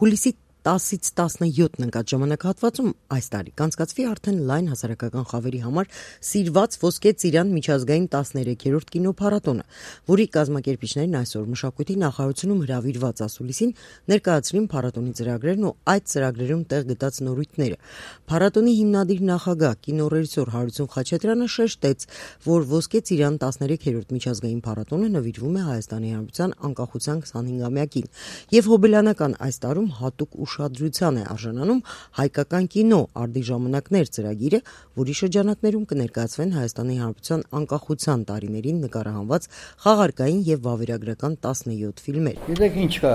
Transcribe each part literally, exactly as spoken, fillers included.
Հուլիսի տասից տասնյոթն ընկած ժամանակահատվածում այս տարի կանցկացվի արդեն լայն հասարակական խավերի համար սիրված Ոսկե ծիրան միջազգային տասներեքերորդ կինոփառատոնը, որի կազմակերպիչներն այսօր Մշակույթի նախարարությունում հրավիրված ասուլիսին ներկայացրին փառատոնի ծրագրերն ու այդ ծրագրերում տեղ գտած նորույթները։ Փառատոնի հիմնադիր նախագահ կինոռեժիսոր Հարություն Խաչատրյանը շեշտեց, որ Ոսկե ծիրան տասներեքերորդ միջազգային փառատոնը նվիրվում է Հայաստանի Հանրապետության անկախության քսանհինգամյակին եւ հոբելյանական այս տարում հատուկ ուշադրության է արժանանում հայկական կինո արդի ժամանակներ ծրագիրը, որի շրջանակներում կներկայացվեն Հայաստանի Հանրապետության անկախության տարիներին նկարահանված խաղարկային եւ վավերագրական տասնյոթ ֆիլմեր։ Գիտեք ինչ կա,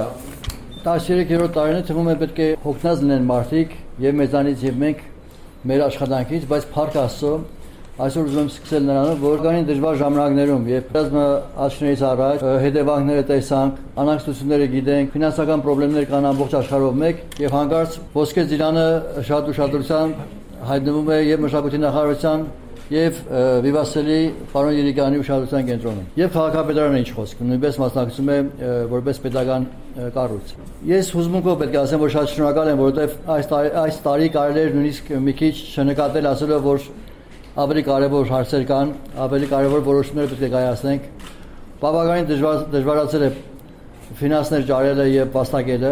տասներեքերորդ տարին թվում է պետք է հոգնած լինեն մարդիկ եւ մեզանից եւ մենք մեր աշխատանքից, բայց փառք Աստծո, այսօր ուզում եմ սկսել նրանով, որ կային դժվար ժամանակներում եւ բազմա աչքներից առաջ հետևանքները տեսանք, անհանգստությունները գիտենք, ֆինանսական խնդիրներ կան ամբողջ աշխարհով մեկ եւ հանկարծ Ոսկե ծիրանը շատ ուշադրությամբ հայտնվում է եւ Մշակույթի նախարարության եւ Վիվասելի պարոն Երիկյանի ուշադրության կենտրոնում։ Եվ քաղաքապետարանը ինչ խոսք, նույնպես մասնակցում է որպես պետական կառույց։ Ես հուզմունքով պետք է ասեմ, որ շատ շնորհակալ եմ, որովհետեւ այս տարի այս տարի կարելի էր նույնիսկ մի քիչ չնկատել, ասելով, որ ավելի կարևոր հարցեր կան, ավելի կարևոր որոշումներ պետք է կայացնենք։ Բավականին դժվար դժվարացել է ֆինանսներ ջարելը եւ վաստակելը,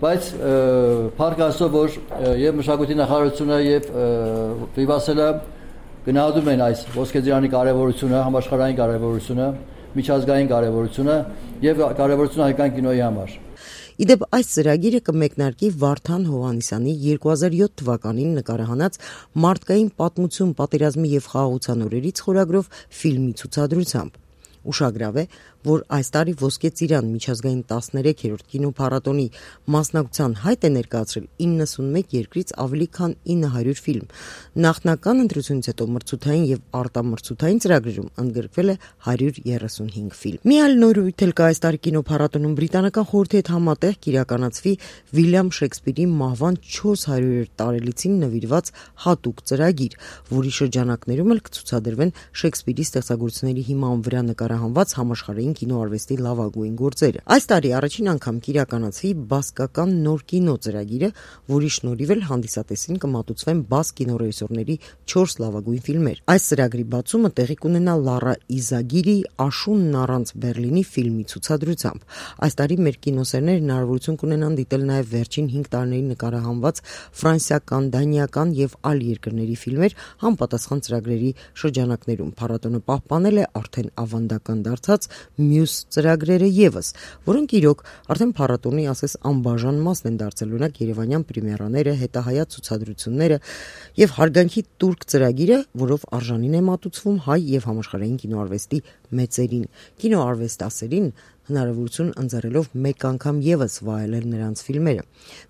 բայց փառք Աստծո, որ եւ Մշակույթի նախարարությունը եւ Վիվասելը գնահատում են այս Ոսկե ծիրանի կարևորությունը, համաշխարհային կարևորությունը, միջազգային կարևորությունը եւ կարևորությունը հայկական կինոյի համար։ Իդեպ այս ծրագիրը կմեկնարկի Վարդան Հովհաննիսյանի երկու հազար յոթ թվականին նկարահանած «Մարդկային պատմություն պատերազմի եւ խաղաղության օրերից» խորագրով ֆիլմի ցուցադրությամբ։ Ուշագրավ է, որ այս տարի Ոսկե ծիրան միջազգային տասներեքերորդ կինոփառատոնի մասնակցության հայտ է ներկայացրել իննսունմեկ երկրից ավելի քան ինը հարյուր ֆիլմ։ Նախնական ընտրությունից հետո մրցութային եւ արտամրցութային ծրագրերում ընդգրկվել է հարյուր երեսունհինգ ֆիլմ։ Մի այլ նորույթ էլ կա այս տարի կինոփառատոնում բրիտանական խորհրդի հետ համատեղ կիրականացվի Վիլյամ Շեքսպիրի մահվան չորս հարյուրերորդ տարելիցին նվիրված հատուկ ծրագիր, որի շրջանակներում էլ կցուցադրվեն Շեքսպիրի ստեղծագործությունների հիման վրա նկարահանված համաշխարհային կինոարվեստի լավագույն գործերը։ Այս տարի առաջին անգամ կիրականացվի բասկական նոր կինո ծրագիրը, որի շնորհիվ էլ հանդիսատեսին կմատուցվեն բաս կինոռեժիսորների չորս լավագույն ֆիլմեր։ Այս ծրագրի բացումը տեղի կունենա Լարա Իզագիրի «Աշունն առանց Բեռլինի» ֆիլմի ցուցադրությամբ։ Այս տարի մեր կինոսերները հնարավորություն կունենան դիտել նաև վերջին հինգ տարիներին նկարահանված ֆրանսիական, դանիական եւ այլ երկրների ֆիլմեր համապատասխան ծրագրերի շրջանակներում։ Փառատոնը պահպանել է արդեն ավանդական դարձած մյուս ծրագրերը եւս, որոնք իրոք արդեն փառատոնի ասես անբաժան մասն են դարձել, օրինակ երևանյան պրեմիերաները, հետահայաց ցուցադրությունները եւ հարգանքի տուրք ծրագիրը, որով արժանին է մատուցվում հայ եւ համաշխարհային կինոարվեստի մեծերին, կինոարվեստասերին հնարավորություն ընձեռելով մեկ անգամ եւս վայելել նրանց ֆիլմերը։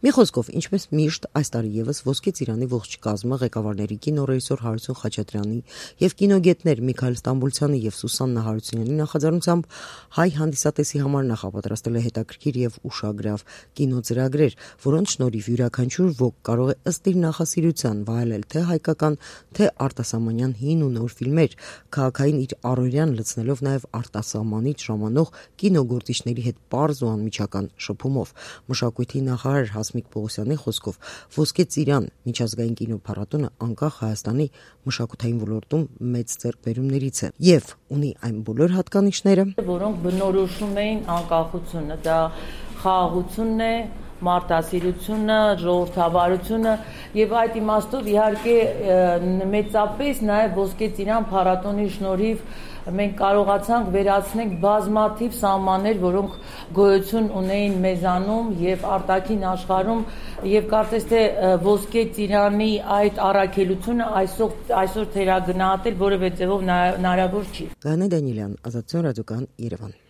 Մի խոսքով, ինչպես միշտ այս տարի եւս Ոսկե ծիրանի ողջ կազմը ղեկավարների կինոռեժիսոր Հարություն Խաչատրյանի եւ կինոգետներ Միքայել Ստամբուլցյանի եւ Սուսաննա Հարությունյանի նախաձեռնությամբ հայ հանդիսատեսի համար նախապատրաստել է հետաքրքիր եւ ուշագրավ կինոծրագրեր, որոնց շնորհիվ յուրաքանչյուր ոք կարող է ըստ իր նախասիրության վայելել թե հայկական, թե արտասահմանյան հին ու նոր ֆիլմեր, քաղաքային իր առօրյան լցնելով նաեւ արտասահմանից ժամանող կինոգործիչների հետ պարզ ու անմիջական շփումով։ Մշակույթի նախարար Հասմիկ Պողոսյանի խոսքով Ոսկե ծիրան միջազգային կինոփառատոնը անկախ Հայաստանի մշակութային ոլորտում մեծ ձեռքբերումներից է եւ ունի այն բոլոր հատկանիշները, որոնք բնորոշում էին անկախությունը, դա խաղաղությունն է, մարդասիրությունը, ժողովրդավարությունը եւ այդ իմաստով իհարկե մեծապես նաեւ Ոսկե ծիրան փառատոնի շնորհիվ մենք կարողացանք վերացնել բազմաթիվ սահմաններ, որոնք գոյություն ունեին մեզանում եւ արտաքին աշխարհում եւ կարծես թե Ոսկե ծիրանի այդ առաքելությունը այսօր այսօր թերագնահատել որևէ ձևով հնարավոր չի։ Գանե Դանիելյան, Ազատություն ռադիոկայան, Երևան։